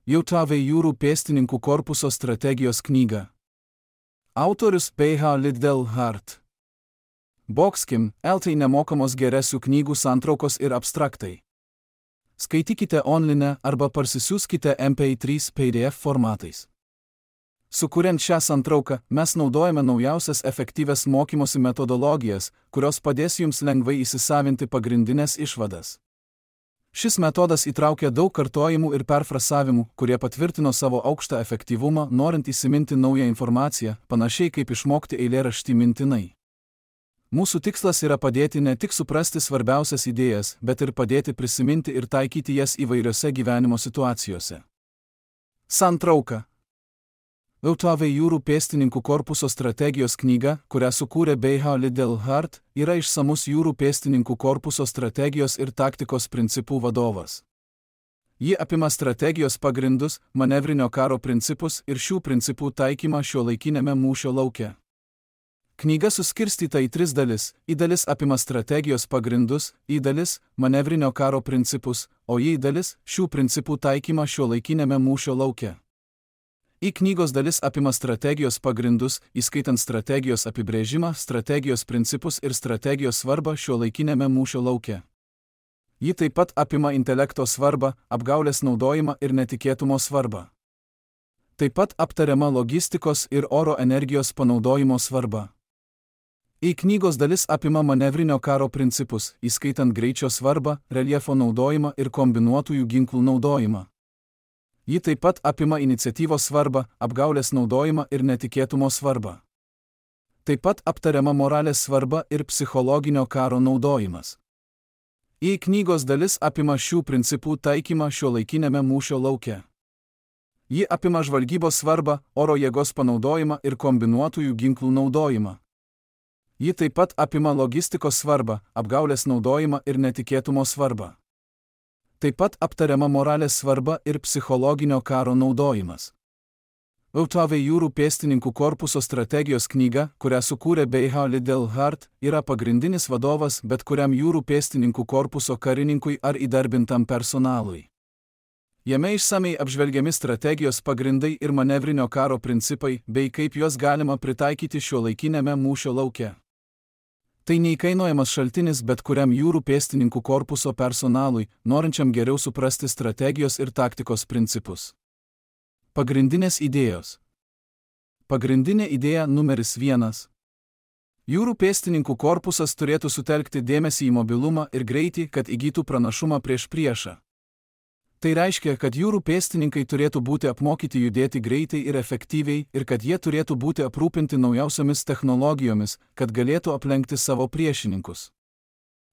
JAV jūrų pėstininkų korpuso strategijos knyga. Autorius PH Liddell-Hart. Boxkim, LT nemokamos geresių knygų santraukos ir abstraktai. Skaitykite online arba parsisiųskite MP3 PDF formatais. Sukuriant šią santrauką, mes naudojame naujausias efektyvias mokymosi metodologijas, kurios padės jums lengvai įsisavinti pagrindinės išvadas. Šis metodas įtraukia daug kartojimų ir perfrasavimų, kurie patvirtino savo aukštą efektyvumą, norint įsiminti naują informaciją, panašiai kaip išmokti eilėraštį mintinai. Mūsų tikslas yra padėti ne tik suprasti svarbiausias idėjas, bet ir padėti prisiminti ir taikyti jas įvairiose gyvenimo situacijose. Santrauka. JAV jūrų pėstininkų korpuso strategijos knyga, kurią sukūrė PH Liddell-Hart, yra išsamus jūrų pėstininkų korpuso strategijos ir taktikos principų vadovas. Ji apima strategijos pagrindus, manevrinio karo principus ir šių principų taikymą šiuolaikiniame mūšio lauke. Knyga suskirstyta į 3 dalis. Į dalis apima strategijos pagrindus, į dalis manevrinio karo principus, o į dalis šių principų taikymą šiuolaikiniame mūšio lauke. Į knygos dalis apima strategijos pagrindus, įskaitant strategijos apibrėžimą, strategijos principus ir strategijos svarbą šiuolaikiniame mūšio lauke. Ji taip pat apima intelekto svarbą, apgaulės naudojimą ir netikėtumo svarbą. Taip pat aptariama logistikos ir oro energijos panaudojimo svarba. Į knygos dalis apima manevrinio karo principus, įskaitant greičio svarbą, reljefo naudojimą ir kombinuotųjų ginklų naudojimą. Ji taip pat apima iniciatyvos svarbą, apgaulės naudojimą ir netikėtumo svarbą. Taip pat aptariama moralės svarba ir psichologinio karo naudojimas. Į knygos dalis apima šių principų taikymą šiuolaikiniame mūšio lauke. Ji apima žvalgybos svarbą, oro jėgos panaudojimą ir kombinuotųjų ginklų naudojimą. Ji taip pat apima logistikos svarbą, apgaulės naudojimą ir netikėtumo svarbą. Taip pat aptariama moralės svarba ir psichologinio karo naudojimas. JAV jūrų pėstininkų korpuso strategijos knyga, kurią sukūrė PH Liddell-Hart, yra pagrindinis vadovas bet kuriam jūrų pėstininkų korpuso karininkui ar įdarbintam personalui. Jame išsamiai apžvelgiami strategijos pagrindai ir manevrinio karo principai, bei kaip juos galima pritaikyti šiuolaikiniame mūšio lauke. Tai neįkainojamas šaltinis bet kuriam jūrų pėstininkų korpuso personalui, norinčiam geriau suprasti strategijos ir taktikos principus. Pagrindinės idėjos. Pagrindinė idėja numeris 1. Jūrų pėstininkų korpusas turėtų sutelkti dėmesį į mobilumą ir greitį, kad įgytų pranašumą prieš priešą. Tai reiškia, kad jūrų pėstininkai turėtų būti apmokyti judėti greitai ir efektyviai ir kad jie turėtų būti aprūpinti naujausiomis technologijomis, kad galėtų aplenkti savo priešininkus.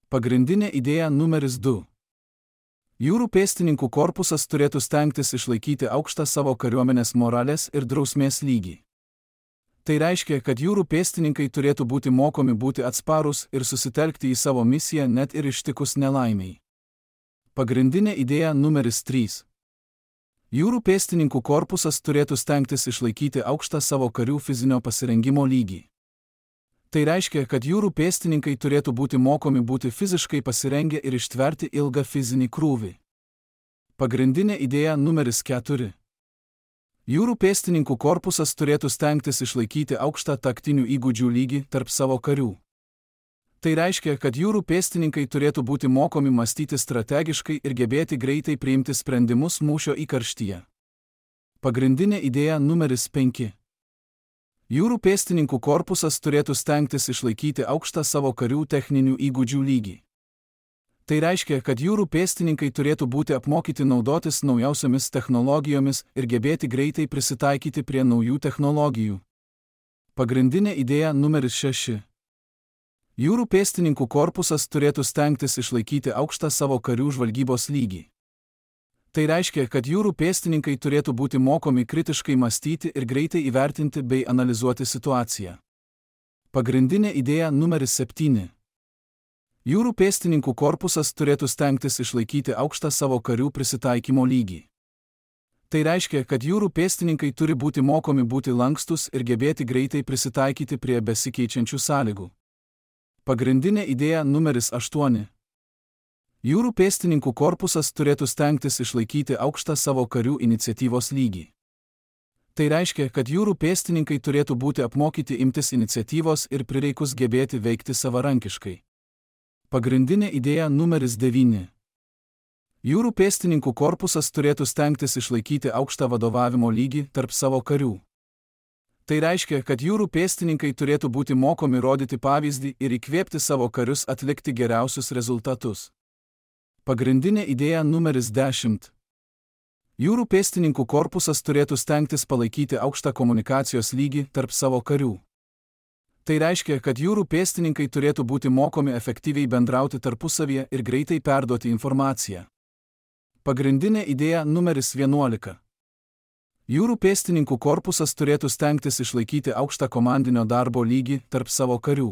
Pagrindinė idėja numeris 2. Jūrų pėstininkų korpusas turėtų stengtis išlaikyti aukštą savo kariuomenės moralės ir drausmės lygį. Tai reiškia, kad jūrų pėstininkai turėtų būti mokomi būti atsparūs ir susitelkti į savo misiją net ir ištikus nelaimiai. Pagrindinė idėja numeris 3. Jūrų pėstininkų korpusas turėtų stengtis išlaikyti aukštą savo karių fizinio pasirengimo lygį. Tai reiškia, kad jūrų pėstininkai turėtų būti mokomi būti fiziškai pasirengę ir ištverti ilgą fizinį krūvį. Pagrindinė idėja numeris 4. Jūrų pėstininkų korpusas turėtų stengtis išlaikyti aukštą taktinių įgūdžių lygį tarp savo karių. Tai reiškia, kad jūrų pėstininkai turėtų būti mokomi mąstyti strategiškai ir gebėti greitai priimti sprendimus mūšio įkarštyje. Pagrindinė idėja numeris 5. Jūrų pėstininkų korpusas turėtų stengtis išlaikyti aukštą savo karių techninių įgūdžių lygį. Tai reiškia, kad jūrų pėstininkai turėtų būti apmokyti naudotis naujausiomis technologijomis ir gebėti greitai prisitaikyti prie naujų technologijų. Pagrindinė idėja numeris 6. Jūrų pėstininkų korpusas turėtų stengtis išlaikyti aukštą savo karių žvalgybos lygį. Tai reiškia, kad jūrų pėstininkai turėtų būti mokomi kritiškai mąstyti ir greitai įvertinti bei analizuoti situaciją. Pagrindinė idėja numeris 7. Jūrų pėstininkų korpusas turėtų stengtis išlaikyti aukštą savo karių prisitaikymo lygį. Tai reiškia, kad jūrų pėstininkai turi būti mokomi būti lankstus ir gebėti greitai prisitaikyti prie besikeičiančių sąlygų. Pagrindinė idėja numeris 8. Jūrų pėstininkų korpusas turėtų stengtis išlaikyti aukštą savo karių iniciatyvos lygį. Tai reiškia, kad jūrų pėstininkai turėtų būti apmokyti imtis iniciatyvos ir prireikus gebėti veikti savarankiškai. Pagrindinė idėja numeris 9. Jūrų pėstininkų korpusas turėtų stengtis išlaikyti aukštą vadovavimo lygį tarp savo karių. Tai reiškia, kad jūrų pėstininkai turėtų būti mokomi rodyti pavyzdį ir įkvėpti savo karius atlikti geriausius rezultatus. Pagrindinė idėja numeris 10. Jūrų pėstininkų korpusas turėtų stengtis palaikyti aukštą komunikacijos lygį tarp savo karių. Tai reiškia, kad jūrų pėstininkai turėtų būti mokomi efektyviai bendrauti tarpusavyje ir greitai perduoti informaciją. Pagrindinė idėja numeris 11. Jūrų pėstininkų korpusas turėtų stengtis išlaikyti aukštą komandinio darbo lygį tarp savo karių.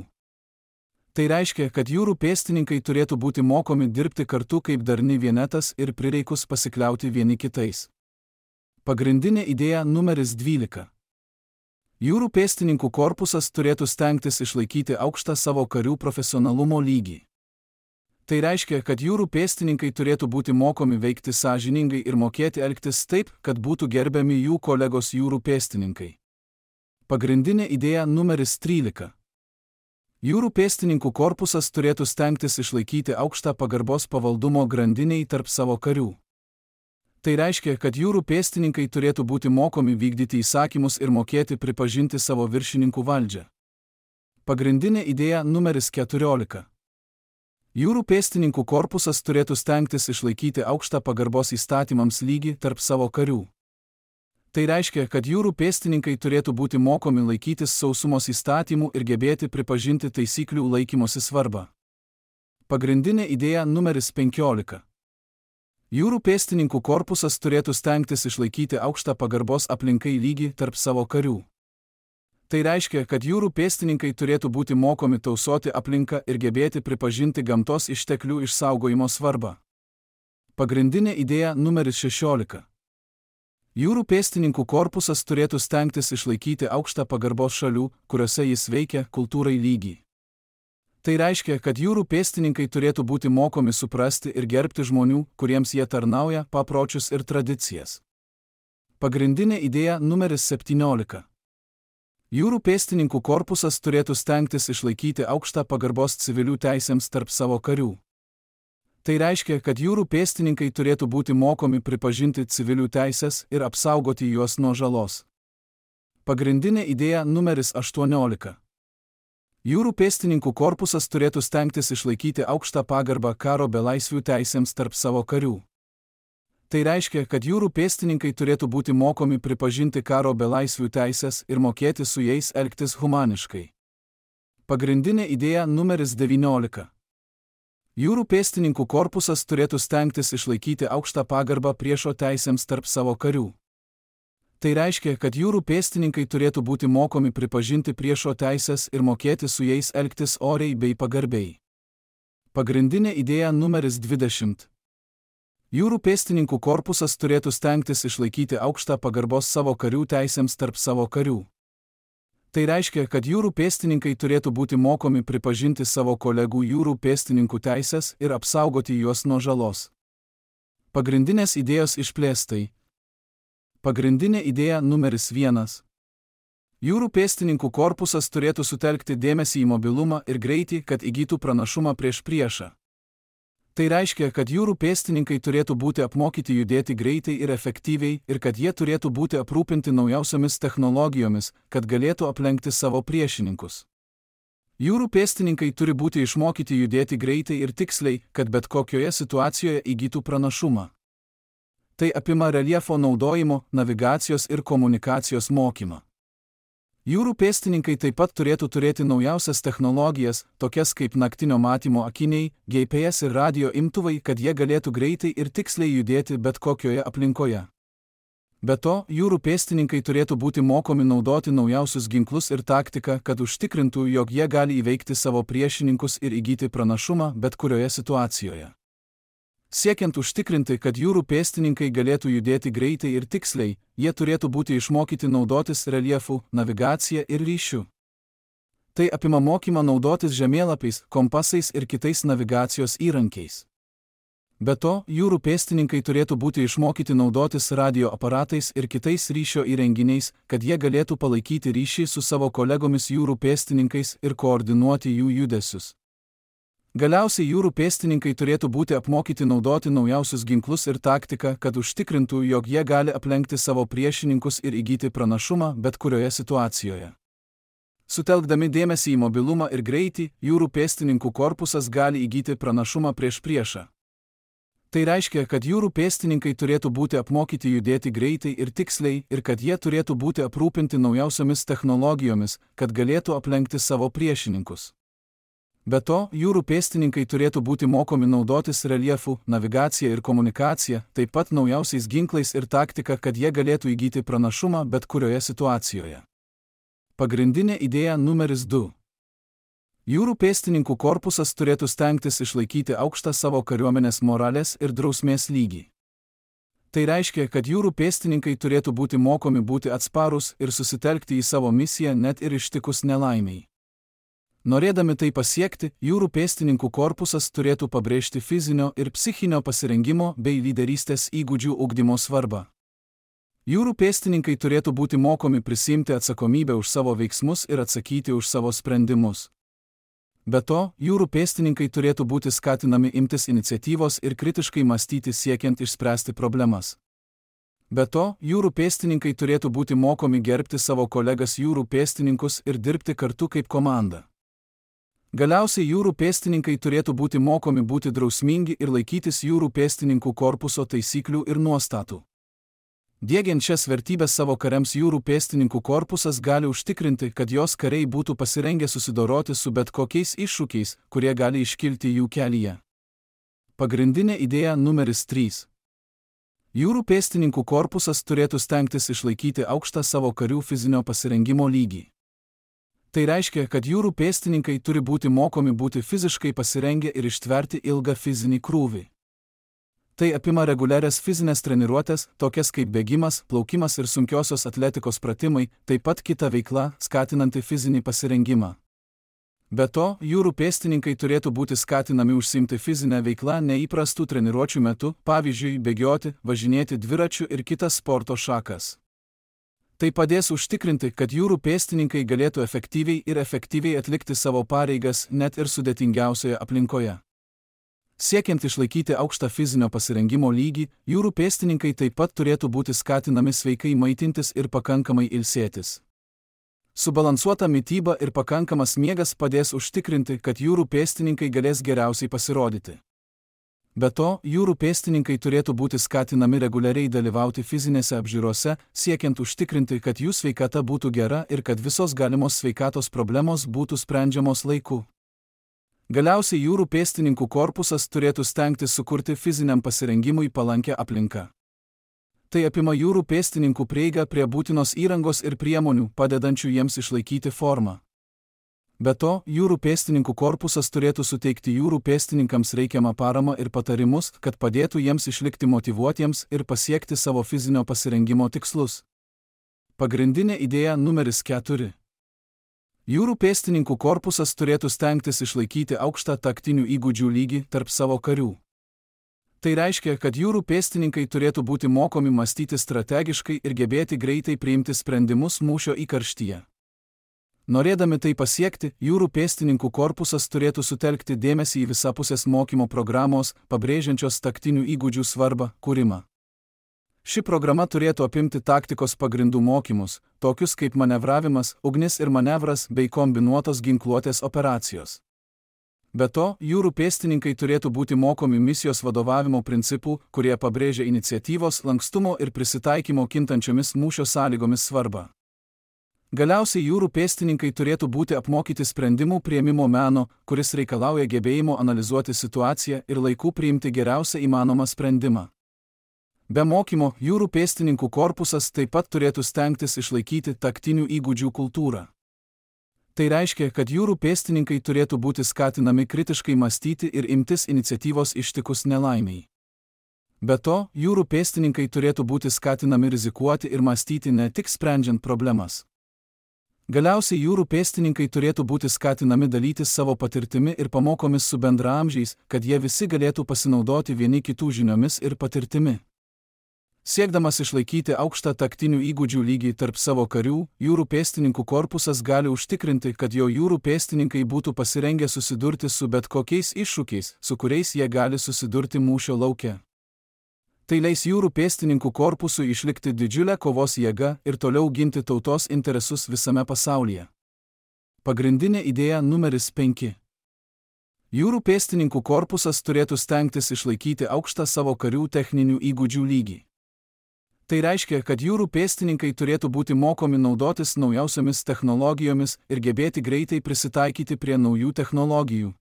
Tai reiškia, kad jūrų pėstininkai turėtų būti mokomi dirbti kartu kaip darni vienetas ir prireikus pasikliauti vieni kitais. Pagrindinė idėja numeris 12. Jūrų pėstininkų korpusas turėtų stengtis išlaikyti aukštą savo karių profesionalumo lygį. Tai reiškia, kad jūrų pėstininkai turėtų būti mokomi veikti sąžiningai ir mokėti elgtis taip, kad būtų gerbiami jų kolegos jūrų pėstininkai. Pagrindinė idėja numeris 13. Jūrų pėstininkų korpusas turėtų stengtis išlaikyti aukštą pagarbos pavaldumo grandiniai tarp savo karių. Tai reiškia, kad jūrų pėstininkai turėtų būti mokomi vykdyti įsakymus ir mokėti pripažinti savo viršininkų valdžią. Pagrindinė idėja numeris 14. Jūrų pėstininkų korpusas turėtų stengtis išlaikyti aukštą pagarbos įstatymams lygį tarp savo karių. Tai reiškia, kad jūrų pėstininkai turėtų būti mokomi laikytis sausumos įstatymų ir gebėti pripažinti taisyklių laikymosi svarbą. Pagrindinė idėja numeris 15. Jūrų pėstininkų korpusas turėtų stengtis išlaikyti aukštą pagarbos aplinkai lygį tarp savo karių. Tai reiškia, kad jūrų pėstininkai turėtų būti mokomi tausoti aplinką ir gebėti pripažinti gamtos išteklių išsaugojimo svarbą. Pagrindinė idėja numeris 16. Jūrų pėstininkų korpusas turėtų stengtis išlaikyti aukštą pagarbos šalių, kuriuose jis veikia, kultūrai lygį. Tai reiškia, kad jūrų pėstininkai turėtų būti mokomi suprasti ir gerbti žmonių, kuriems jie tarnauja, papročius ir tradicijas. Pagrindinė idėja numeris 17. Jūrų pėstininkų korpusas turėtų stengtis išlaikyti aukštą pagarbos civilių teisėms tarp savo karių. Tai reiškia, kad jūrų pėstininkai turėtų būti mokomi pripažinti civilių teisės ir apsaugoti juos nuo žalos. Pagrindinė idėja numeris 18. Jūrų pėstininkų korpusas turėtų stengtis išlaikyti aukštą pagarbą karo belaisvių teisėms tarp savo karių. Tai reiškia, kad jūrų pėstininkai turėtų būti mokomi pripažinti karo belaisvių teisės ir mokėti su jais elgtis humaniškai. Pagrindinė idėja numeris 19. Jūrų pėstininkų korpusas turėtų stengtis išlaikyti aukštą pagarbą priešo teisėms tarp savo karių. Tai reiškia, kad jūrų pėstininkai turėtų būti mokomi pripažinti priešo teisės ir mokėti su jais elgtis oriai bei pagarbiai. Pagrindinė idėja numeris 20. Jūrų pėstininkų korpusas turėtų stengtis išlaikyti aukštą pagarbos savo karių teisėms tarp savo karių. Tai reiškia, kad jūrų pėstininkai turėtų būti mokomi pripažinti savo kolegų jūrų pėstininkų teisės ir apsaugoti juos nuo žalos. Pagrindinės idėjos išplėstai. Pagrindinė idėja numeris 1. Jūrų pėstininkų korpusas turėtų sutelkti dėmesį į mobilumą ir greitį, kad įgytų pranašumą prieš priešą. Tai reiškia, kad jūrų pėstininkai turėtų būti apmokyti judėti greitai ir efektyviai ir kad jie turėtų būti aprūpinti naujausiomis technologijomis, kad galėtų aplenkti savo priešininkus. Jūrų pėstininkai turi būti išmokyti judėti greitai ir tiksliai, kad bet kokioje situacijoje įgytų pranašumą. Tai apima reljefo naudojimo, navigacijos ir komunikacijos mokymą. Jūrų pėstininkai taip pat turėtų turėti naujausias technologijas, tokias kaip naktinio matymo akiniai, GPS ir radio imtuvai, kad jie galėtų greitai ir tiksliai judėti bet kokioje aplinkoje. Be to, jūrų pėstininkai turėtų būti mokomi naudoti naujausius ginklus ir taktiką, kad užtikrintų, jog jie gali įveikti savo priešininkus ir įgyti pranašumą bet kurioje situacijoje. Siekiant užtikrinti, kad jūrų pėstininkai galėtų judėti greitai ir tiksliai, jie turėtų būti išmokyti naudotis reljefu, navigacija ir ryšiu. Tai apima mokymą naudotis žemėlapiais, kompasais ir kitais navigacijos įrankiais. Be to, jūrų pėstininkai turėtų būti išmokyti naudotis radio aparatais ir kitais ryšio įrenginiais, kad jie galėtų palaikyti ryšį su savo kolegomis jūrų pėstininkais ir koordinuoti jų judesius. Galiausiai jūrų pėstininkai turėtų būti apmokyti naudoti naujausius ginklus ir taktiką, kad užtikrintų, jog jie gali aplenkti savo priešininkus ir įgyti pranašumą bet kurioje situacijoje. Sutelkdami dėmesį į mobilumą ir greitį, jūrų pėstininkų korpusas gali įgyti pranašumą prieš priešą. Tai reiškia, kad jūrų pėstininkai turėtų būti apmokyti judėti greitai ir tiksliai ir kad jie turėtų būti aprūpinti naujausiomis technologijomis, kad galėtų aplenkti savo priešininkus. Be to, jūrų pėstininkai turėtų būti mokomi naudotis reljefu, navigacija ir komunikacija, taip pat naujausiais ginklais ir taktika, kad jie galėtų įgyti pranašumą bet kurioje situacijoje. Pagrindinė idėja numeris 2. Jūrų pėstininkų korpusas turėtų stengtis išlaikyti aukštą savo kariuomenės moralės ir drausmės lygį. Tai reiškia, kad jūrų pėstininkai turėtų būti mokomi būti atsparūs ir susitelkti į savo misiją net ir ištikus nelaimiai. Norėdami tai pasiekti, jūrų pėstininkų korpusas turėtų pabrėžti fizinio ir psichinio pasirengimo bei lyderystės įgūdžių ugdymo svarbą. Jūrų pėstininkai turėtų būti mokomi prisiimti atsakomybę už savo veiksmus ir atsakyti už savo sprendimus. Be to, jūrų pėstininkai turėtų būti skatinami imtis iniciatyvos ir kritiškai mąstyti siekiant išspręsti problemas. Be to, jūrų pėstininkai turėtų būti mokomi gerbti savo kolegas jūrų pėstininkus ir dirbti kartu kaip komanda. Galiausiai jūrų pėstininkai turėtų būti mokomi būti drausmingi ir laikytis jūrų pėstininkų korpuso taisyklių ir nuostatų. Diegiant šias vertybės savo kariams, jūrų pėstininkų korpusas gali užtikrinti, kad jos kariai būtų pasirengę susidoroti su bet kokiais iššūkiais, kurie gali iškilti jų kelyje. Pagrindinė idėja numeris 3. Jūrų pėstininkų korpusas turėtų stengtis išlaikyti aukštą savo karių fizinio pasirengimo lygį. Tai reiškia, kad jūrų pėstininkai turi būti mokomi būti fiziškai pasirengę ir ištverti ilgą fizinį krūvį. Tai apima reguliarias fizinės treniruotės, tokias kaip bėgimas, plaukimas ir sunkiosios atletikos pratimai, taip pat kita veikla, skatinanti fizinį pasirengimą. Be to, jūrų pėstininkai turėtų būti skatinami užsiimti fizinę veiklą neįprastų treniruočių metu, pavyzdžiui, bėgioti, važinėti dviračiu ir kitas sporto šakas. Tai padės užtikrinti, kad jūrų pėstininkai galėtų efektyviai atlikti savo pareigas net ir sudėtingiausioje aplinkoje. Siekiant išlaikyti aukštą fizinio pasirengimo lygį, jūrų pėstininkai taip pat turėtų būti skatinami sveikai maitintis ir pakankamai ilsėtis. Subalansuota mityba ir pakankamas miegas padės užtikrinti, kad jūrų pėstininkai galės geriausiai pasirodyti. Be to, jūrų pėstininkai turėtų būti skatinami reguliariai dalyvauti fizinėse apžiūrose, siekiant užtikrinti, kad jų sveikata būtų gera ir kad visos galimos sveikatos problemos būtų sprendžiamos laiku. Galiausiai jūrų pėstininkų korpusas turėtų stengtis sukurti fiziniam pasirengimui palankę aplinką. Tai apima jūrų pėstininkų prieigą prie būtinos įrangos ir priemonių, padedančių jiems išlaikyti formą. Be to, jūrų pėstininkų korpusas turėtų suteikti jūrų pėstininkams reikiamą paramą ir patarimus, kad padėtų jiems išlikti motyvuotiems ir pasiekti savo fizinio pasirengimo tikslus. Pagrindinė idėja numeris 4. Jūrų pėstininkų korpusas turėtų stengtis išlaikyti aukštą taktinių įgūdžių lygį tarp savo karių. Tai reiškia, kad jūrų pėstininkai turėtų būti mokomi mąstyti strategiškai ir gebėti greitai priimti sprendimus mūšio įkarštyje. Norėdami tai pasiekti, jūrų pėstininkų korpusas turėtų sutelkti dėmesį į visapusės mokymo programos, pabrėžiančios taktinių įgūdžių svarbą, kūrimą. Ši programa turėtų apimti taktikos pagrindų mokymus, tokius kaip manevravimas, ugnis ir manevras bei kombinuotos ginkluotės operacijos. Be to, jūrų pėstininkai turėtų būti mokomi misijos vadovavimo principų, kurie pabrėžia iniciatyvos, lankstumo ir prisitaikymo kintančiomis mūšio sąlygomis svarbą. Galiausiai jūrų pėstininkai turėtų būti apmokyti sprendimų priėmimo meno, kuris reikalauja gebėjimo analizuoti situaciją ir laiku priimti geriausią įmanomą sprendimą. Be mokymo, jūrų pėstininkų korpusas taip pat turėtų stengtis išlaikyti taktinių įgūdžių kultūrą. Tai reiškia, kad jūrų pėstininkai turėtų būti skatinami kritiškai mąstyti ir imtis iniciatyvos ištikus nelaimiai. Be to, jūrų pėstininkai turėtų būti skatinami rizikuoti ir mąstyti ne tik sprendžiant problemas. Galiausiai jūrų pėstininkai turėtų būti skatinami dalytis savo patirtimi ir pamokomis su bendraamžiais, kad jie visi galėtų pasinaudoti vieni kitų žiniomis ir patirtimi. Siekdamas išlaikyti aukštą taktinių įgūdžių lygį tarp savo karių, jūrų pėstininkų korpusas gali užtikrinti, kad jo jūrų pėstininkai būtų pasirengę susidurti su bet kokiais iššūkiais, su kuriais jie gali susidurti mūšio lauke. Tai leis jūrų pėstininkų korpusui išlikti didžiulę kovos jėgą ir toliau ginti tautos interesus visame pasaulyje. Pagrindinė idėja numeris 5. Jūrų pėstininkų korpusas turėtų stengtis išlaikyti aukštą savo karių techninių įgūdžių lygį. Tai reiškia, kad jūrų pėstininkai turėtų būti mokomi naudotis naujausiomis technologijomis ir gebėti greitai prisitaikyti prie naujų technologijų.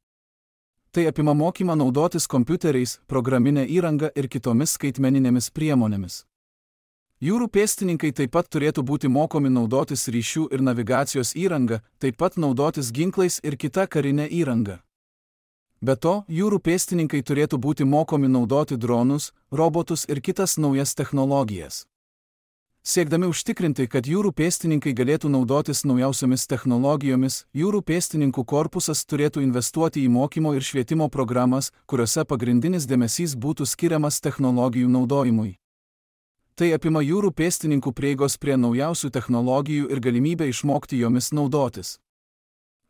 Tai apima mokymą naudotis kompiuteriais, programinę įrangą ir kitomis skaitmeninėmis priemonėmis. Jūrų pėstininkai taip pat turėtų būti mokomi naudotis ryšių ir navigacijos įranga, taip pat naudotis ginklais ir kita karinė įranga. Be to, jūrų pėstininkai turėtų būti mokomi naudoti dronus, robotus ir kitas naujas technologijas. Siekdami užtikrinti, kad jūrų pėstininkai galėtų naudotis naujausiomis technologijomis, jūrų pėstininkų korpusas turėtų investuoti į mokymo ir švietimo programas, kuriuose pagrindinis dėmesys būtų skiriamas technologijų naudojimui. Tai apima jūrų pėstininkų prieigos prie naujausių technologijų ir galimybę išmokti jomis naudotis.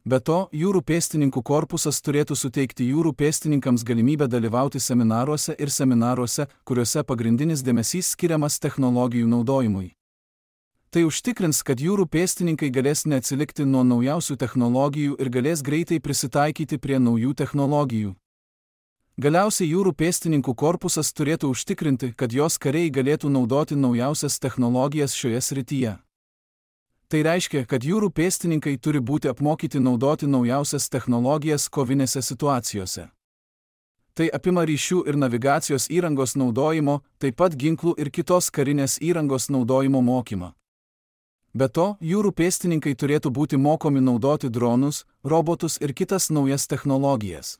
Be to, jūrų pėstininkų korpusas turėtų suteikti jūrų pėstininkams galimybę dalyvauti seminaruose, kuriuose pagrindinis dėmesys skiriamas technologijų naudojimui. Tai užtikrins, kad jūrų pėstininkai galės neatsilikti nuo naujausių technologijų ir galės greitai prisitaikyti prie naujų technologijų. Galiausiai jūrų pėstininkų korpusas turėtų užtikrinti, kad jos kariai galėtų naudoti naujausias technologijas šioje srityje. Tai reiškia, kad jūrų pėstininkai turi būti apmokyti naudoti naujausias technologijas kovinėse situacijose. Tai apima ryšių ir navigacijos įrangos naudojimo, taip pat ginklų ir kitos karinės įrangos naudojimo mokymą. Be to, jūrų pėstininkai turėtų būti mokomi naudoti dronus, robotus ir kitas naujas technologijas.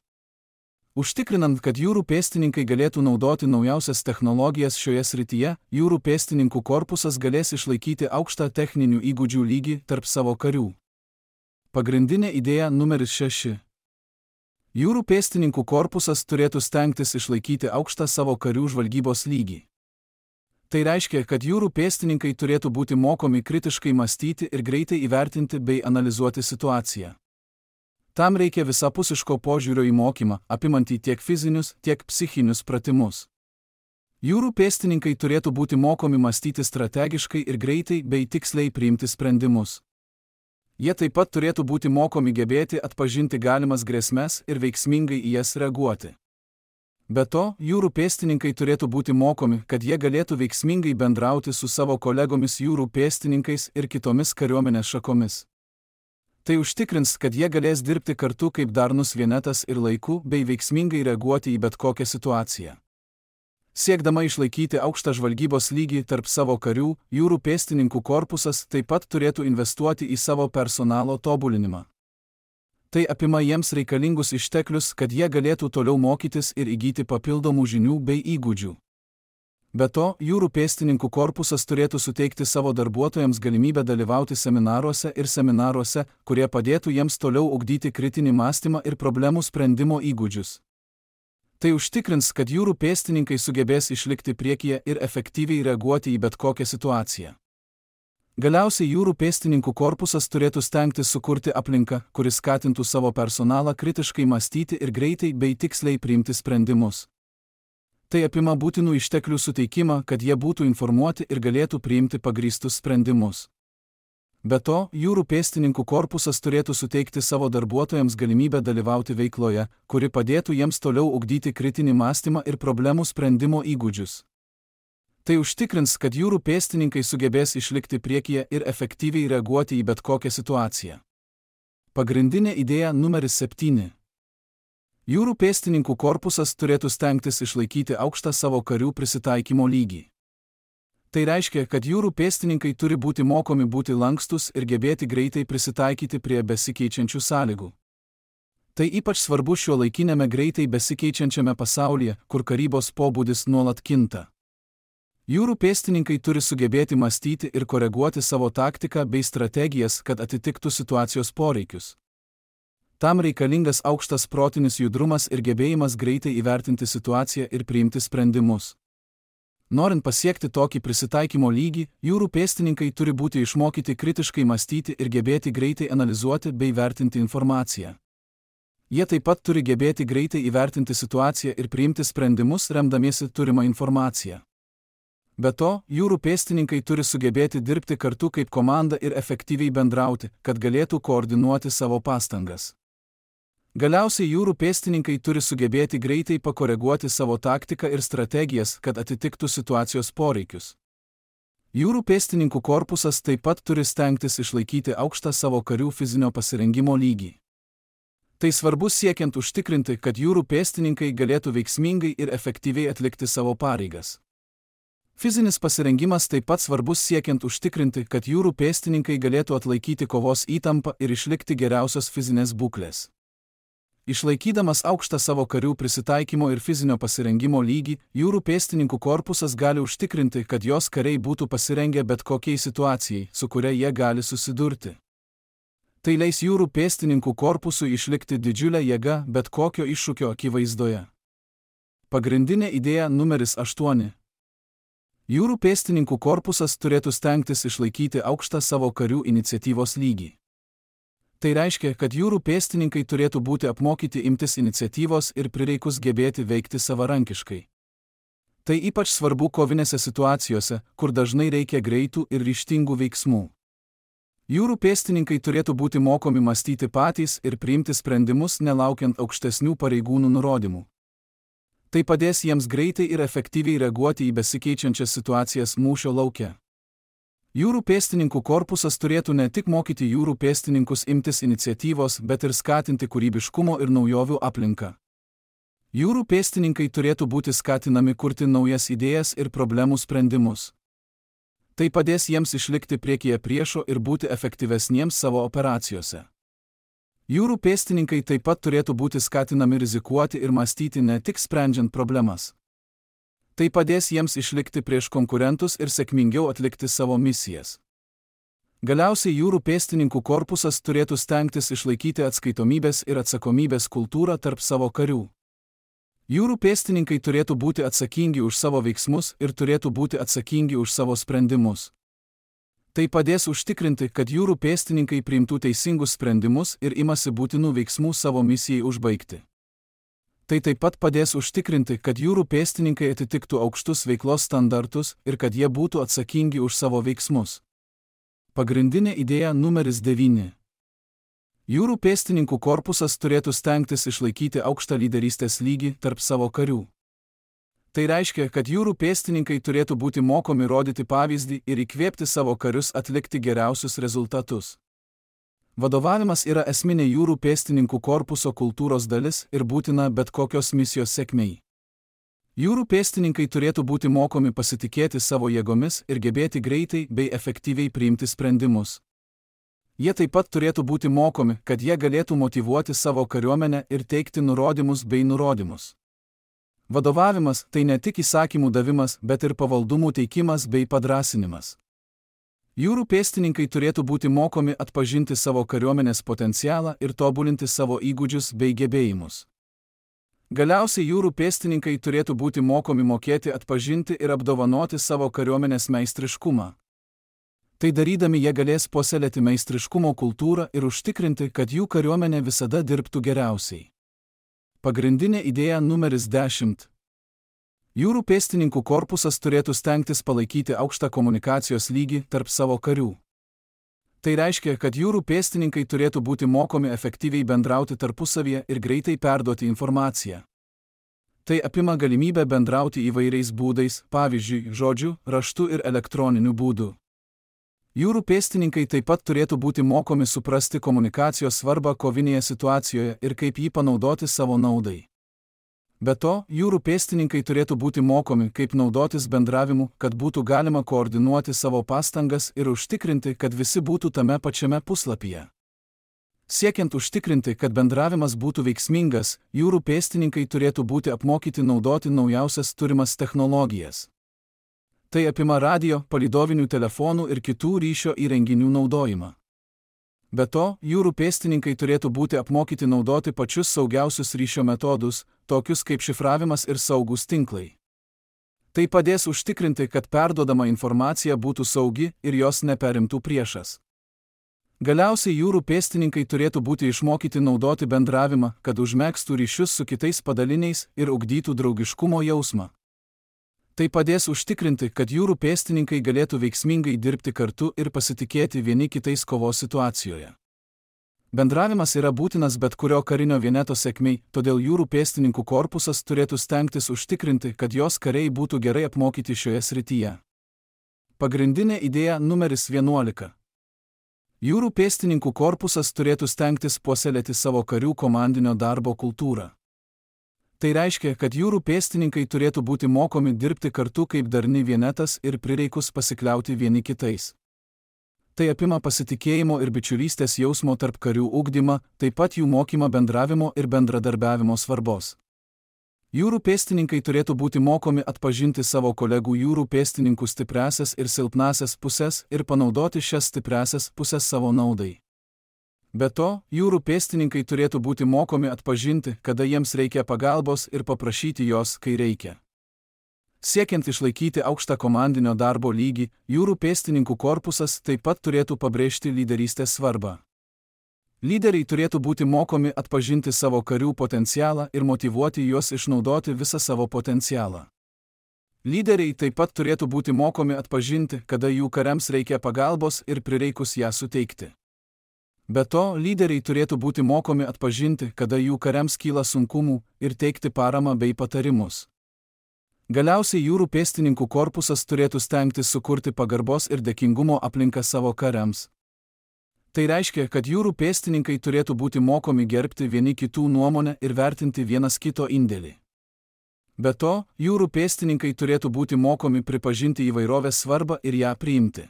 Užtikrinant, kad jūrų pėstininkai galėtų naudoti naujausias technologijas šioje srityje, jūrų pėstininkų korpusas galės išlaikyti aukštą techninių įgūdžių lygį tarp savo karių. Pagrindinė idėja numeris 6. Jūrų pėstininkų korpusas turėtų stengtis išlaikyti aukštą savo karių žvalgybos lygį. Tai reiškia, kad jūrų pėstininkai turėtų būti mokomi kritiškai mąstyti ir greitai įvertinti bei analizuoti situaciją. Tam reikia visapusiško požiūrio į mokymą, apimantį tiek fizinius, tiek psichinius pratimus. Jūrų pėstininkai turėtų būti mokomi mąstyti strategiškai ir greitai bei tiksliai priimti sprendimus. Jie taip pat turėtų būti mokomi gebėti atpažinti galimas grėsmes ir veiksmingai į jas reaguoti. Be to, jūrų pėstininkai turėtų būti mokomi, kad jie galėtų veiksmingai bendrauti su savo kolegomis jūrų pėstininkais ir kitomis kariuomenės šakomis. Tai užtikrins, kad jie galės dirbti kartu kaip darnus vienetas ir laiku bei veiksmingai reaguoti į bet kokią situaciją. Siekdama išlaikyti aukštą žvalgybos lygį tarp savo karių, jūrų pėstininkų korpusas taip pat turėtų investuoti į savo personalo tobulinimą. Tai apima jiems reikalingus išteklius, kad jie galėtų toliau mokytis ir įgyti papildomų žinių bei įgūdžių. Be to, jūrų pėstininkų korpusas turėtų suteikti savo darbuotojams galimybę dalyvauti seminaruose, kurie padėtų jiems toliau ugdyti kritinį mąstymą ir problemų sprendimo įgūdžius. Tai užtikrins, kad jūrų pėstininkai sugebės išlikti priekyje ir efektyviai reaguoti į bet kokią situaciją. Galiausiai jūrų pėstininkų korpusas turėtų stengtis sukurti aplinką, kuris skatintų savo personalą kritiškai mąstyti ir greitai bei tiksliai priimti sprendimus. Tai apima būtinų išteklių suteikimą, kad jie būtų informuoti ir galėtų priimti pagrįstus sprendimus. Be to, jūrų pėstininkų korpusas turėtų suteikti savo darbuotojams galimybę dalyvauti veikloje, kuri padėtų jiems toliau ugdyti kritinį mąstymą ir problemų sprendimo įgūdžius. Tai užtikrins, kad jūrų pėstininkai sugebės išlikti priekyje ir efektyviai reaguoti į bet kokią situaciją. Pagrindinė idėja numeris 7. Jūrų pėstininkų korpusas turėtų stengtis išlaikyti aukštą savo karių prisitaikymo lygį. Tai reiškia, kad jūrų pėstininkai turi būti mokomi būti lankstus ir gebėti greitai prisitaikyti prie besikeičiančių sąlygų. Tai ypač svarbu šiuolaikinėme greitai besikeičiančiame pasaulyje, kur karybos pobūdis nuolat kinta. Jūrų pėstininkai turi sugebėti mąstyti ir koreguoti savo taktiką bei strategijas, kad atitiktų situacijos poreikius. Tam reikalingas aukštas protinis judrumas ir gebėjimas greitai įvertinti situaciją ir priimti sprendimus. Norint pasiekti tokį prisitaikymo lygį, jūrų pėstininkai turi būti išmokyti kritiškai mąstyti ir gebėti greitai analizuoti bei vertinti informaciją. Jie taip pat turi gebėti greitai įvertinti situaciją ir priimti sprendimus remdamiesi turimą informaciją. Be to, jūrų pėstininkai turi sugebėti dirbti kartu kaip komanda ir efektyviai bendrauti, kad galėtų koordinuoti savo pastangas. Galiausiai jūrų pėstininkai turi sugebėti greitai pakoreguoti savo taktiką ir strategijas, kad atitiktų situacijos poreikius. Jūrų pėstininkų korpusas taip pat turi stengtis išlaikyti aukštą savo karių fizinio pasirengimo lygį. Tai svarbu siekiant užtikrinti, kad jūrų pėstininkai galėtų veiksmingai ir efektyviai atlikti savo pareigas. Fizinis pasirengimas taip pat svarbus siekiant užtikrinti, kad jūrų pėstininkai galėtų atlaikyti kovos įtampą ir išlikti geriausios fizinės būklės. Išlaikydamas aukštą savo karių prisitaikymo ir fizinio pasirengimo lygį, jūrų pėstininkų korpusas gali užtikrinti, kad jos kariai būtų pasirengę bet kokiai situacijai, su kuria jie gali susidurti. Tai leis jūrų pėstininkų korpusui išlikti didžiulę jėgą bet kokio iššūkio akivaizdoje. Pagrindinė idėja numeris 8. Jūrų pėstininkų korpusas turėtų stengtis išlaikyti aukštą savo karių iniciatyvos lygį. Tai reiškia, kad jūrų pėstininkai turėtų būti apmokyti imtis iniciatyvos ir prireikus gebėti veikti savarankiškai. Tai ypač svarbu kovinėse situacijose, kur dažnai reikia greitų ir ryžtingų veiksmų. Jūrų pėstininkai turėtų būti mokomi mąstyti patys ir priimti sprendimus nelaukiant aukštesnių pareigūnų nurodymų. Tai padės jiems greitai ir efektyviai reaguoti į besikeičiančias situacijas mūšio lauke. Jūrų pėstininkų korpusas turėtų ne tik mokyti jūrų pėstininkus imtis iniciatyvos, bet ir skatinti kūrybiškumo ir naujovių aplinką. Jūrų pėstininkai turėtų būti skatinami kurti naujas idėjas ir problemų sprendimus. Tai padės jiems išlikti priekyje priešo ir būti efektyvesniems savo operacijose. Jūrų pėstininkai taip pat turėtų būti skatinami rizikuoti ir mąstyti ne tik sprendžiant problemas. Tai padės jiems išlikti prieš konkurentus ir sėkmingiau atlikti savo misijas. Galiausiai jūrų pėstininkų korpusas turėtų stengtis išlaikyti atskaitomybės ir atsakomybės kultūrą tarp savo karių. Jūrų pėstininkai turėtų būti atsakingi už savo veiksmus ir turėtų būti atsakingi už savo sprendimus. Tai padės užtikrinti, kad jūrų pėstininkai priimtų teisingus sprendimus ir imasi būtinų veiksmų savo misijai užbaigti. Tai taip pat padės užtikrinti, kad jūrų pėstininkai atitiktų aukštus veiklos standartus ir kad jie būtų atsakingi už savo veiksmus. Pagrindinė idėja numeris 9. Jūrų pėstininkų korpusas turėtų stengtis išlaikyti aukštą lyderystės lygį tarp savo karių. Tai reiškia, kad jūrų pėstininkai turėtų būti mokomi rodyti pavyzdį ir įkvėpti savo karius atlikti geriausius rezultatus. Vadovavimas yra esminė jūrų pėstininkų korpuso kultūros dalis ir būtina bet kokios misijos sėkmei. Jūrų pėstininkai turėtų būti mokomi pasitikėti savo jėgomis ir gebėti greitai bei efektyviai priimti sprendimus. Jie taip pat turėtų būti mokomi, kad jie galėtų motyvuoti savo kariuomenę ir teikti nurodymus bei nurodymus. Vadovavimas tai ne tik įsakymų davimas, bet ir pavaldumų teikimas bei padrąsinimas. Jūrų pėstininkai turėtų būti mokomi atpažinti savo kariuomenės potencialą ir tobulinti savo įgūdžius bei gebėjimus. Galiausiai jūrų pėstininkai turėtų būti mokomi mokėti atpažinti ir apdovanoti savo kariuomenės meistriškumą. Tai darydami jie galės puoselėti meistriškumo kultūrą ir užtikrinti, kad jų kariuomenė visada dirbtų geriausiai. Pagrindinė idėja numeris 10. Jūrų pėstininkų korpusas turėtų stengtis palaikyti aukštą komunikacijos lygį tarp savo karių. Tai reiškia, kad jūrų pėstininkai turėtų būti mokomi efektyviai bendrauti tarpusavyje ir greitai perduoti informaciją. Tai apima galimybę bendrauti įvairiais būdais, pavyzdžiui, žodžiu, raštu ir elektroniniu būdu. Jūrų pėstininkai taip pat turėtų būti mokomi suprasti komunikacijos svarbą kovinėje situacijoje ir kaip jį panaudoti savo naudai. Be to, jūrų pėstininkai turėtų būti mokomi, kaip naudotis bendravimu, kad būtų galima koordinuoti savo pastangas ir užtikrinti, kad visi būtų tame pačiame puslapyje. Siekiant užtikrinti, kad bendravimas būtų veiksmingas, jūrų pėstininkai turėtų būti apmokyti naudoti naujausias turimas technologijas. Tai apima radio, palydovinių telefonų ir kitų ryšio įrenginių naudojimą. Be to, jūrų pėstininkai turėtų būti apmokyti naudoti pačius saugiausius ryšio metodus, tokius kaip šifravimas ir saugūs tinklai. Tai padės užtikrinti, kad perduodama informacija būtų saugi ir jos neperimtų priešas. Galiausiai jūrų pėstininkai turėtų būti išmokyti naudoti bendravimą, kad užmegztų ryšius su kitais padaliniais ir ugdytų draugiškumo jausmą. Tai padės užtikrinti, kad jūrų pėstininkai galėtų veiksmingai dirbti kartu ir pasitikėti vieni kitais kovos situacijoje. Bendravimas yra būtinas bet kurio karinio vieneto sėkmei, todėl jūrų pėstininkų korpusas turėtų stengtis užtikrinti, kad jos kariai būtų gerai apmokyti šioje srityje. Pagrindinė idėja numeris 11. Jūrų pėstininkų korpusas turėtų stengtis puoselėti savo karių komandinio darbo kultūrą. Tai reiškia, kad jūrų pėstininkai turėtų būti mokomi dirbti kartu kaip darni vienetas ir prireikus pasikliauti vieni kitais. Tai apima pasitikėjimo ir bičiulystės jausmo tarp karių ugdymą, taip pat jų mokymą bendravimo ir bendradarbiavimo svarbos. Jūrų pėstininkai turėtų būti mokomi atpažinti savo kolegų jūrų pėstininkų stipriąsias ir silpnąsias puses ir panaudoti šias stipriąsias puses savo naudai. Be to, jūrų pėstininkai turėtų būti mokomi atpažinti, kada jiems reikia pagalbos ir paprašyti jos, kai reikia. Siekiant išlaikyti aukštą komandinio darbo lygį, jūrų pėstininkų korpusas taip pat turėtų pabrėžti lyderystės svarbą. Lyderiai turėtų būti mokomi atpažinti savo karių potencialą ir motyvuoti juos išnaudoti visą savo potencialą. Lyderiai taip pat turėtų būti mokomi atpažinti, kada jų kariams reikia pagalbos ir prireikus ją suteikti. Be to, lyderiai turėtų būti mokomi atpažinti, kada jų kariams kyla sunkumų ir teikti paramą bei patarimus. Galiausiai jūrų pėstininkų korpusas turėtų stengtis sukurti pagarbos ir dėkingumo aplinką savo kariams. Tai reiškia, kad jūrų pėstininkai turėtų būti mokomi gerbti vieni kitų nuomonę ir vertinti vienas kito indėlį. Be to, jūrų pėstininkai turėtų būti mokomi pripažinti įvairovės svarbą ir ją priimti.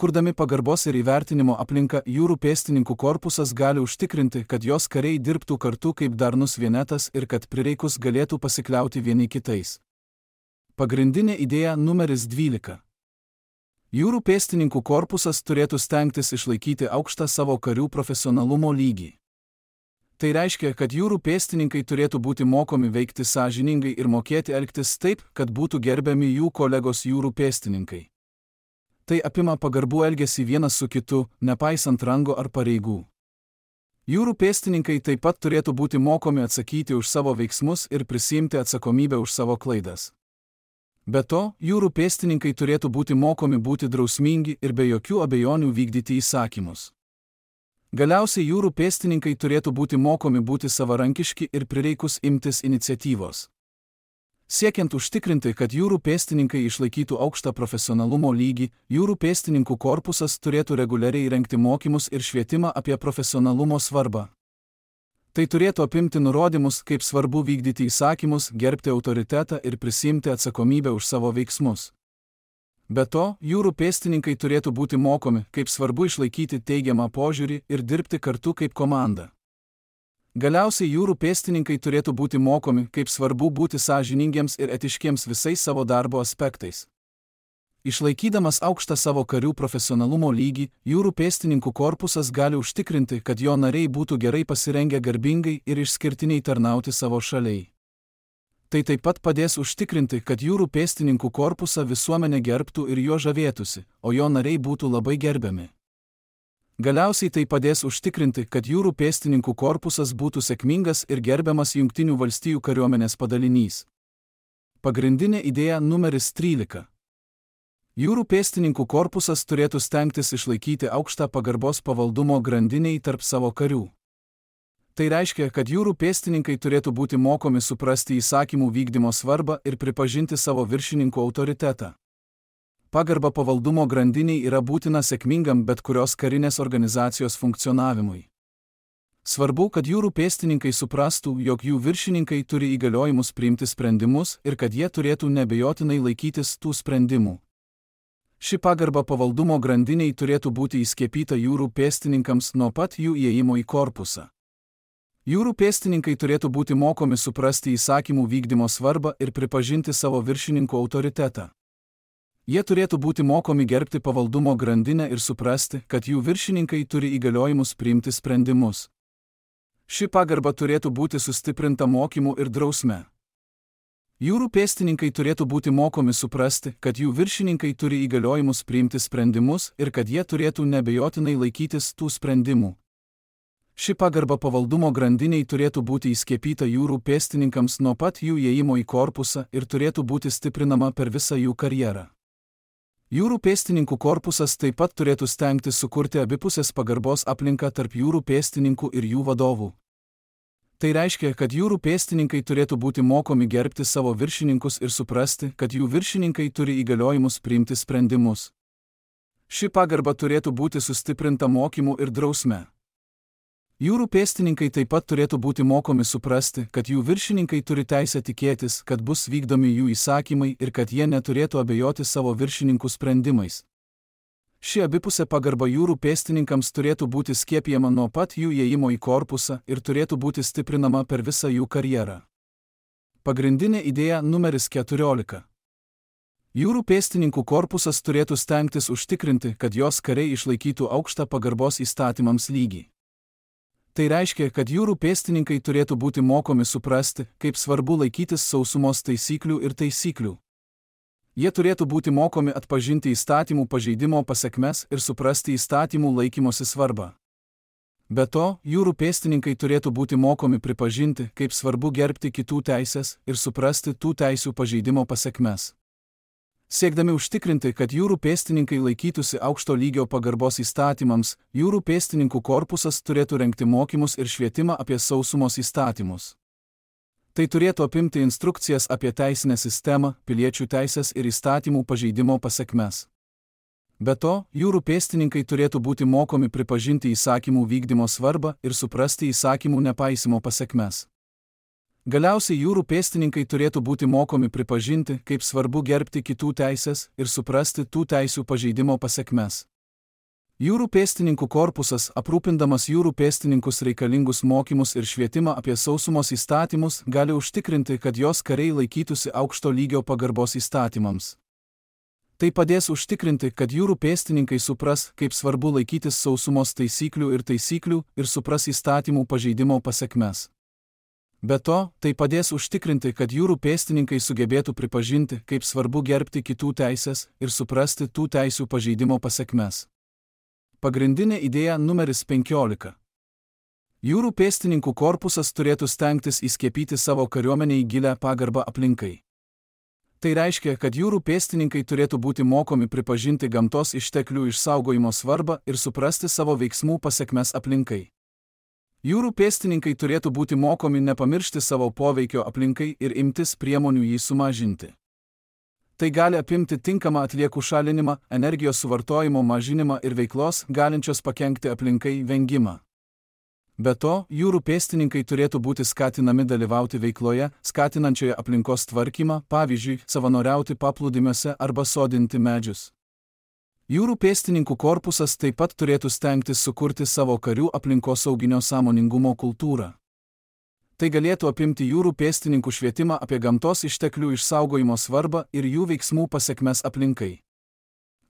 Kurdami pagarbos ir įvertinimo aplinką, jūrų pėstininkų korpusas gali užtikrinti, kad jos kariai dirbtų kartu kaip darnus vienetas ir kad prireikus galėtų pasikliauti vieni kitais. Pagrindinė idėja numeris 12. Jūrų pėstininkų korpusas turėtų stengtis išlaikyti aukštą savo karių profesionalumo lygį. Tai reiškia, kad jūrų pėstininkai turėtų būti mokomi veikti sąžiningai ir mokėti elgtis taip, kad būtų gerbiami jų kolegos jūrų pėstininkai. Tai apima pagarbų elgesį vienas su kitu, nepaisant rango ar pareigų. Jūrų pėstininkai taip pat turėtų būti mokomi atsakyti už savo veiksmus ir prisiimti atsakomybę už savo klaidas. Be to, jūrų pėstininkai turėtų būti mokomi būti drausmingi ir be jokių abejonių vykdyti įsakymus. Galiausiai jūrų pėstininkai turėtų būti mokomi būti savarankiški ir prireikus imtis iniciatyvos. Siekiant užtikrinti, kad jūrų pėstininkai išlaikytų aukštą profesionalumo lygį, jūrų pėstininkų korpusas turėtų reguliariai rengti mokymus ir švietimą apie profesionalumo svarbą. Tai turėtų apimti nurodymus, kaip svarbu vykdyti įsakymus, gerbti autoritetą ir prisiimti atsakomybę už savo veiksmus. Be to, jūrų pėstininkai turėtų būti mokomi, kaip svarbu išlaikyti teigiamą požiūrį ir dirbti kartu kaip komanda. Galiausiai jūrų pėstininkai turėtų būti mokomi, kaip svarbu būti sąžiningiems ir etiškiems visais savo darbo aspektais. Išlaikydamas aukštą savo karių profesionalumo lygį, jūrų pėstininkų korpusas gali užtikrinti, kad jo nariai būtų gerai pasirengę garbingai ir išskirtiniai tarnauti savo šaliai. Tai taip pat padės užtikrinti, kad jūrų pėstininkų korpusą visuomenė gerbtų ir juo žavėtųsi, o jo nariai būtų labai gerbiami. Galiausiai tai padės užtikrinti, kad jūrų pėstininkų korpusas būtų sėkmingas ir gerbiamas Jungtinių valstijų kariuomenės padalinys. Pagrindinė idėja numeris 13. Jūrų pėstininkų korpusas turėtų stengtis išlaikyti aukštą pagarbos pavaldumo grandinei tarp savo karių. Tai reiškia, kad jūrų pėstininkai turėtų būti mokomi suprasti įsakymų vykdymo svarbą ir pripažinti savo viršininkų autoritetą. Pagarba pavaldumo grandiniai yra būtina sėkmingam bet kurios karinės organizacijos funkcionavimui. Svarbu, kad jūrų pėstininkai suprastų, jog jų viršininkai turi įgaliojimus priimti sprendimus ir kad jie turėtų neabejotinai laikytis tų sprendimų. Ši pagarba pavaldumo grandiniai turėtų būti įskiepyta jūrų pėstininkams nuo pat jų įėjimo į korpusą. Jūrų pėstininkai turėtų būti mokomi suprasti įsakymų vykdymo svarbą ir pripažinti savo viršininkų autoritetą. Jie turėtų būti mokomi gerbti pavaldumo grandinę ir suprasti, kad jų viršininkai turi įgaliojimus priimti sprendimus. Ši pagarba turėtų būti sustiprinta mokymu ir drausme. Jūrų pėstininkai turėtų būti mokomi suprasti, kad jų viršininkai turi įgaliojimus priimti sprendimus ir kad jie turėtų neabejotinai laikytis tų sprendimų. Ši pagarba pavaldumo grandiniai turėtų būti įskiepyta jūrų pėstininkams nuo pat jų įėjimo į korpusą ir turėtų būti stiprinama per visą jų karjerą. Jūrų pėstininkų korpusas taip pat turėtų stengtis sukurti abipusės pagarbos aplinką tarp jūrų pėstininkų ir jų vadovų. Tai reiškia, kad jūrų pėstininkai turėtų būti mokomi gerbti savo viršininkus ir suprasti, kad jų viršininkai turi įgaliojimus priimti sprendimus. Ši pagarba turėtų būti sustiprinta mokymu ir drausme. Jūrų pėstininkai taip pat turėtų būti mokomi suprasti, kad jų viršininkai turi teisę tikėtis, kad bus vykdomi jų įsakymai ir kad jie neturėtų abejoti savo viršininkų sprendimais. Ši abipusė pagarba jūrų pėstininkams turėtų būti skiepijama nuo pat jų įėjimo į korpusą ir turėtų būti stiprinama per visą jų karjerą. Pagrindinė idėja numeris 14. Jūrų pėstininkų korpusas turėtų stengtis užtikrinti, kad jos kariai išlaikytų aukštą pagarbos įstatymams lygį. Tai reiškia, kad jūrų pėstininkai turėtų būti mokomi suprasti, kaip svarbu laikytis sausumos taisyklių ir taisyklių. Jie turėtų būti mokomi atpažinti įstatymų pažeidimo pasekmes ir suprasti įstatymų laikymosi svarbą. Be to, jūrų pėstininkai turėtų būti mokomi pripažinti, kaip svarbu gerbti kitų teisės ir suprasti tų teisių pažeidimo pasekmes. Siekdami užtikrinti, kad jūrų pėstininkai laikytųsi aukšto lygio pagarbos įstatymams, jūrų pėstininkų korpusas turėtų rengti mokymus ir švietimą apie sausumos įstatymus. Tai turėtų apimti instrukcijas apie teisinę sistemą, piliečių teisės ir įstatymų pažeidimo pasekmes. Be to, jūrų pėstininkai turėtų būti mokomi pripažinti įsakymų vykdymo svarbą ir suprasti įsakymų nepaisimo pasekmes. Galiausiai jūrų pėstininkai turėtų būti mokomi pripažinti, kaip svarbu gerbti kitų teisės ir suprasti tų teisių pažeidimo pasekmes. Jūrų pėstininkų korpusas, aprūpindamas jūrų pėstininkus reikalingus mokymus ir švietimą apie sausumos įstatymus, gali užtikrinti, kad jos kariai laikytųsi aukšto lygio pagarbos įstatymams. Tai padės užtikrinti, kad jūrų pėstininkai supras, kaip svarbu laikytis sausumos taisyklių ir supras įstatymų pažeidimo pasekmes. Be to, tai padės užtikrinti, kad jūrų pėstininkai sugebėtų pripažinti, kaip svarbu gerbti kitų teisės ir suprasti tų teisių pažeidimo pasekmes. Pagrindinė idėja numeris 15. Jūrų pėstininkų korpusas turėtų stengtis įskiepyti savo kariuomenei gilią pagarbą aplinkai. Tai reiškia, kad jūrų pėstininkai turėtų būti mokomi pripažinti gamtos išteklių išsaugojimo svarbą ir suprasti savo veiksmų pasekmes aplinkai. Jūrų pėstininkai turėtų būti mokomi nepamiršti savo poveikio aplinkai ir imtis priemonių jį sumažinti. Tai gali apimti tinkamą atliekų šalinimą, energijos suvartojimo mažinimą ir veiklos, galinčios pakenkti aplinkai, vengimą. Be to, jūrų pėstininkai turėtų būti skatinami dalyvauti veikloje, skatinančioje aplinkos tvarkymą, pavyzdžiui, savanoriauti paplūdimiuose arba sodinti medžius. Jūrų pėstininkų korpusas taip pat turėtų stengtis sukurti savo karių aplinkosauginio sąmoningumo kultūrą. Tai galėtų apimti jūrų pėstininkų švietimą apie gamtos išteklių išsaugojimo svarbą ir jų veiksmų pasekmes aplinkai.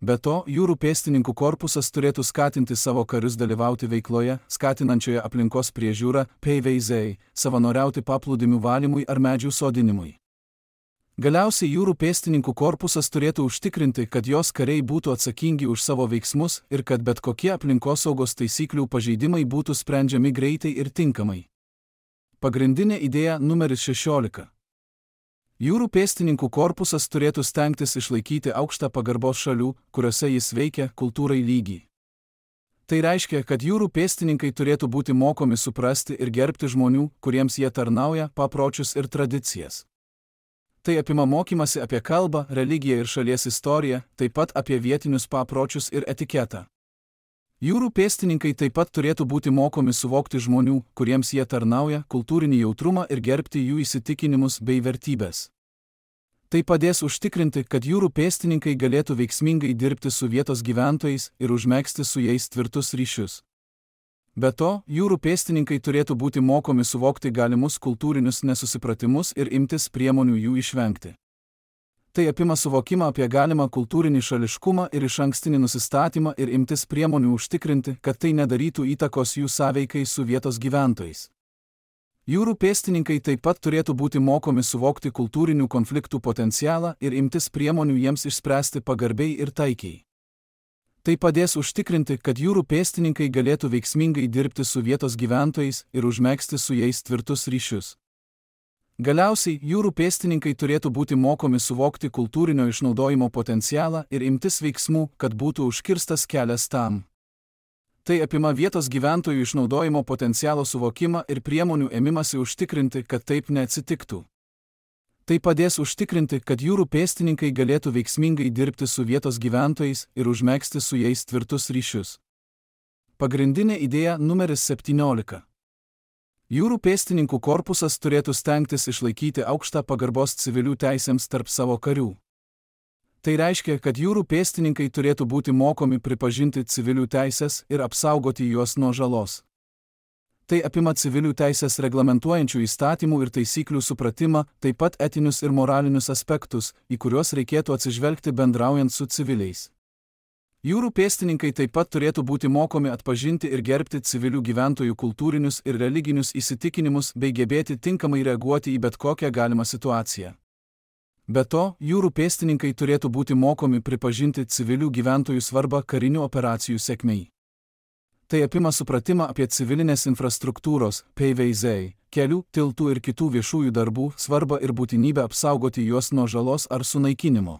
Be to, jūrų pėstininkų korpusas turėtų skatinti savo karius dalyvauti veikloje, skatinančioje aplinkos priežiūrą, PVZ, savanoriauti paplūdimių valymui ar medžių sodinimui. Galiausiai jūrų pėstininkų korpusas turėtų užtikrinti, kad jos kariai būtų atsakingi už savo veiksmus ir kad bet kokie aplinkosaugos taisyklių pažeidimai būtų sprendžiami greitai ir tinkamai. Pagrindinė idėja numeris 16. Jūrų pėstininkų korpusas turėtų stengtis išlaikyti aukštą pagarbos šalių, kuriuose jis veikia, kultūrai lygį. Tai reiškia, kad jūrų pėstininkai turėtų būti mokomi suprasti ir gerbti žmonių, kuriems jie tarnauja, papročius ir tradicijas. Tai apima mokymasi apie kalbą, religiją ir šalies istoriją, taip pat apie vietinius papročius ir etiketą. Jūrų pėstininkai taip pat turėtų būti mokomi suvokti žmonių, kuriems jie tarnauja, kultūrinį jautrumą ir gerbti jų įsitikinimus bei vertybės. Tai padės užtikrinti, kad jūrų pėstininkai galėtų veiksmingai dirbti su vietos gyventojais ir užmegzti su jais tvirtus ryšius. Be to, jūrų pėstininkai turėtų būti mokomi suvokti galimus kultūrinius nesusipratimus ir imtis priemonių jų išvengti. Tai apima suvokimą apie galimą kultūrinį šališkumą ir išankstinį nusistatymą ir imtis priemonių užtikrinti, kad tai nedarytų įtakos jų sąveikai su vietos gyventojais. Jūrų pėstininkai taip pat turėtų būti mokomi suvokti kultūrinių konfliktų potencialą ir imtis priemonių jiems išspręsti pagarbiai ir taikiai. Tai padės užtikrinti, kad jūrų pėstininkai galėtų veiksmingai dirbti su vietos gyventojais ir užmegzti su jais tvirtus ryšius. Galiausiai, jūrų pėstininkai turėtų būti mokomi suvokti kultūrinio išnaudojimo potencialą ir imtis veiksmų, kad būtų užkirstas kelias tam. Tai apima vietos gyventojų išnaudojimo potencialo suvokimą ir priemonių ėmimasi užtikrinti, kad taip neatsitiktų. Tai padės užtikrinti, kad jūrų pėstininkai galėtų veiksmingai dirbti su vietos gyventojais ir užmegzti su jais tvirtus ryšius. Pagrindinė idėja numeris 17. Jūrų pėstininkų korpusas turėtų stengtis išlaikyti aukštą pagarbos civilių teisėms tarp savo karių. Tai reiškia, kad jūrų pėstininkai turėtų būti mokomi pripažinti civilių teisės ir apsaugoti juos nuo žalos. Tai apima civilių teisės reglamentuojančių įstatymų ir taisyklių supratimą, taip pat etinius ir moralinius aspektus, į kuriuos reikėtų atsižvelgti bendraujant su civiliais. Jūrų pėstininkai taip pat turėtų būti mokomi atpažinti ir gerbti civilių gyventojų kultūrinius ir religinius įsitikinimus bei gebėti tinkamai reaguoti į bet kokią galimą situaciją. Be to, jūrų pėstininkai turėtų būti mokomi pripažinti civilių gyventojų svarbą karinių operacijų sėkmei. Tai apima supratimą apie civilinės infrastruktūros, PVZ, kelių, tiltų ir kitų viešųjų darbų svarbą ir būtinybę apsaugoti juos nuo žalos ar sunaikinimo.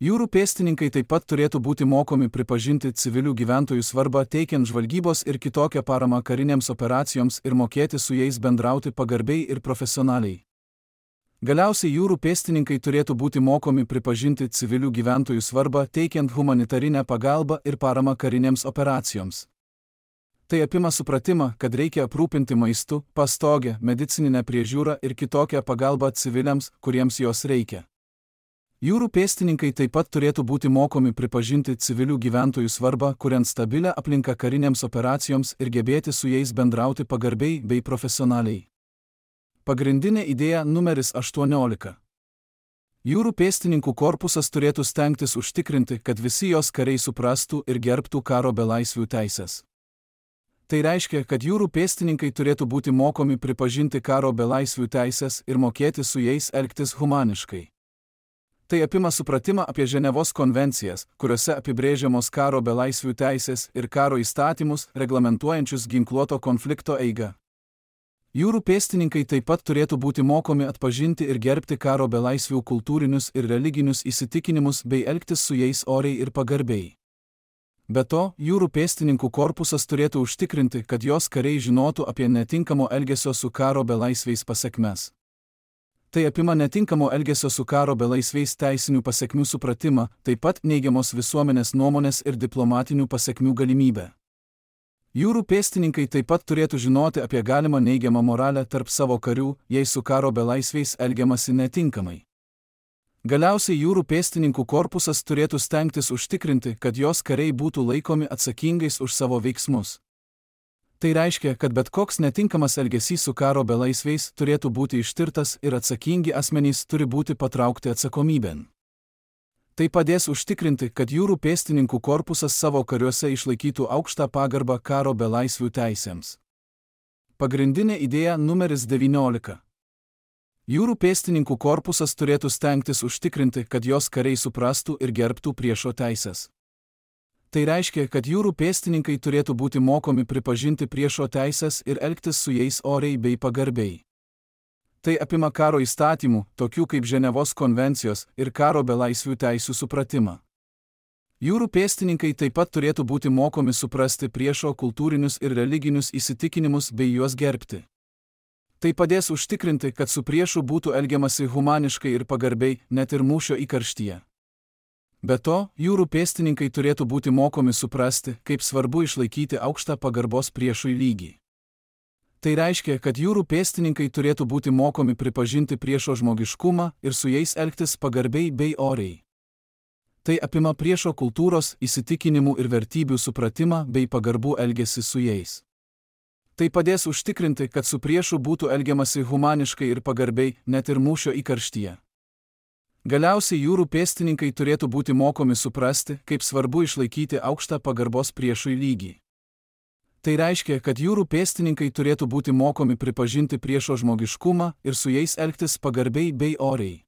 Jūrų pėstininkai taip pat turėtų būti mokomi pripažinti civilių gyventojų svarbą teikiant žvalgybos ir kitokią paramą karinėms operacijoms ir mokėti su jais bendrauti pagarbiai ir profesionaliai. Galiausiai jūrų pėstininkai turėtų būti mokomi pripažinti civilių gyventojų svarbą teikiant humanitarinę pagalbą ir paramą karinėms operacijoms. Tai apima supratimą, kad reikia aprūpinti maistu, pastogę, medicininę priežiūrą ir kitokią pagalbą civiliams, kuriems jos reikia. Jūrų pėstininkai taip pat turėtų būti mokomi pripažinti civilių gyventojų svarbą, kuriant stabilę aplinką karinėms operacijoms ir gebėti su jais bendrauti pagarbiai bei profesionaliai. Pagrindinė idėja numeris 18. Jūrų pėstininkų korpusas turėtų stengtis užtikrinti, kad visi jos kariai suprastų ir gerbtų karo belaisvių teisės. Tai reiškia, kad jūrų pėstininkai turėtų būti mokomi pripažinti karo belaisvių teisės ir mokėti su jais elgtis humaniškai. Tai apima supratimą apie Ženevos konvencijas, kuriuose apibrėžiamos karo belaisvių teisės ir karo įstatymus, reglamentuojančius ginkluoto konflikto eigą. Jūrų pėstininkai taip pat turėtų būti mokomi atpažinti ir gerbti karo belaisvių kultūrinius ir religinius įsitikinimus bei elgtis su jais oriai ir pagarbiai. Be to, jūrų pėstininkų korpusas turėtų užtikrinti, kad jos kariai žinotų apie netinkamo elgesio su karo belaisviais pasekmes. Tai apima netinkamo elgesio su karo belaisviais teisinių pasekmių supratimą, taip pat neigiamos visuomenės nuomonės ir diplomatinių pasekmių galimybę. Jūrų pėstininkai taip pat turėtų žinoti apie galimą neigiamą moralę tarp savo karių, jei su karo belaisviais elgiamasi netinkamai. Galiausiai jūrų pėstininkų korpusas turėtų stengtis užtikrinti, kad jos kariai būtų laikomi atsakingais už savo veiksmus. Tai reiškia, kad bet koks netinkamas elgesys su karo belaisviais turėtų būti ištirtas ir atsakingi asmenys turi būti patraukti atsakomybėn. Tai padės užtikrinti, kad jūrų pėstininkų korpusas savo kariuose išlaikytų aukštą pagarbą karo belaisvių teisėms. Pagrindinė idėja numeris 19. Jūrų pėstininkų korpusas turėtų stengtis užtikrinti, kad jos kariai suprastų ir gerbtų priešo teisės. Tai reiškia, kad jūrų pėstininkai turėtų būti mokomi pripažinti priešo teisės ir elgtis su jais oriai bei pagarbiai. Tai apima karo įstatymų, tokių kaip Ženevos konvencijos ir karo belaisvių teisių supratimą. Jūrų pėstininkai taip pat turėtų būti mokomi suprasti priešo kultūrinius ir religinius įsitikinimus bei juos gerbti. Tai padės užtikrinti, kad su priešu būtų elgiamasi humaniškai ir pagarbiai, net ir mūšio įkarštyje. Be to, jūrų pėstininkai turėtų būti mokomi suprasti, kaip svarbu išlaikyti aukštą pagarbos priešui lygį. Tai reiškia, kad jūrų pėstininkai turėtų būti mokomi pripažinti priešo žmogiškumą ir su jais elgtis pagarbiai bei oriai. Tai apima priešo kultūros, įsitikinimų ir vertybių supratimą bei pagarbų elgesį su jais. Tai padės užtikrinti, kad su priešu būtų elgiamasi humaniškai ir pagarbiai, net ir mūšio įkarštyje. Galiausiai jūrų pėstininkai turėtų būti mokomi suprasti, kaip svarbu išlaikyti aukštą pagarbos priešui lygį. Tai reiškia, kad jūrų pėstininkai turėtų būti mokomi pripažinti priešo žmogiškumą ir su jais elgtis pagarbiai bei oriai.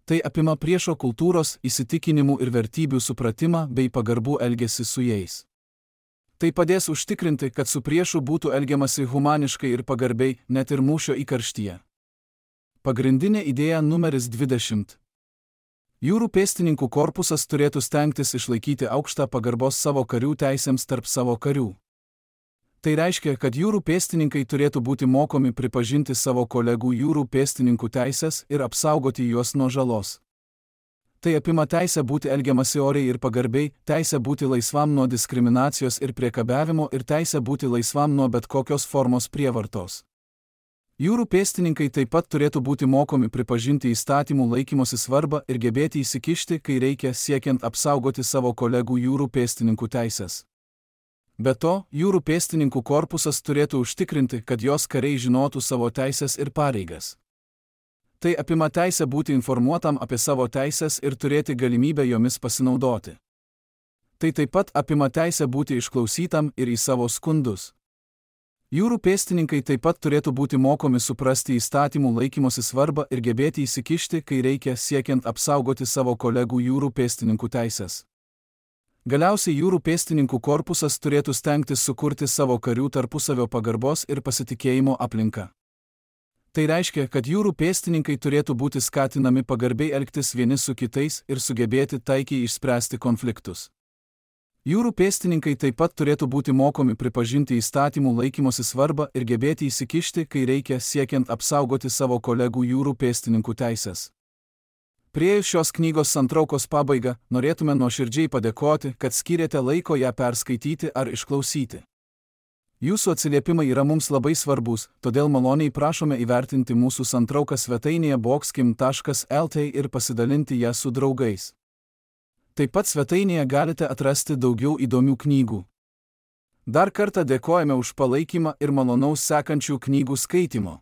Tai apima priešo kultūros, įsitikinimų ir vertybių supratimą bei pagarbų elgesį su jais. Tai padės užtikrinti, kad su priešu būtų elgiamasi humaniškai ir pagarbiai, net ir mūšio įkarštyje. Pagrindinė idėja numeris 20. Jūrų pėstininkų korpusas turėtų stengtis išlaikyti aukštą pagarbos savo karių teisėms tarp savo karių. Tai reiškia, kad jūrų pėstininkai turėtų būti mokomi pripažinti savo kolegų jūrų pėstininkų teisės ir apsaugoti juos nuo žalos. Tai apima teisę būti elgiamasi oriai ir pagarbiai, teisę būti laisvam nuo diskriminacijos ir priekabiavimo ir teisę būti laisvam nuo bet kokios formos prievartos. Jūrų pėstininkai taip pat turėtų būti mokomi pripažinti įstatymų laikymosi svarbą ir gebėti įsikišti, kai reikia, siekiant apsaugoti savo kolegų jūrų pėstininkų teisės. Be to, jūrų pėstininkų korpusas turėtų užtikrinti, kad jos kariai žinotų savo teisės ir pareigas. Tai apima teisę būti informuotam apie savo teisės ir turėti galimybę jomis pasinaudoti. Tai taip pat apima teisę būti išklausytam ir į savo skundus. Jūrų pėstininkai taip pat turėtų būti mokomi suprasti įstatymų laikymosi svarbą ir gebėti įsikišti, kai reikia, siekiant apsaugoti savo kolegų jūrų pėstininkų teisės. Galiausiai jūrų pėstininkų korpusas turėtų stengtis sukurti savo karių tarpusavio pagarbos ir pasitikėjimo aplinką. Tai reiškia, kad jūrų pėstininkai turėtų būti skatinami pagarbiai elgtis vieni su kitais ir sugebėti taikiai išspręsti konfliktus. Jūrų pėstininkai taip pat turėtų būti mokomi pripažinti įstatymų laikymosi svarbą ir gebėti įsikišti, kai reikia, siekiant apsaugoti savo kolegų jūrų pėstininkų teisės. Priėjus šios knygos santraukos pabaigą, norėtume nuoširdžiai padėkoti, kad skyrėte laiko ją perskaityti ar išklausyti. Jūsų atsiliepimai yra mums labai svarbus, todėl maloniai prašome įvertinti mūsų santrauką svetainėje boxkim.lt ir pasidalinti ją su draugais. Taip pat svetainėje galite atrasti daugiau įdomių knygų. Dar kartą dėkojame už palaikymą ir malonaus sekančių knygų skaitimo.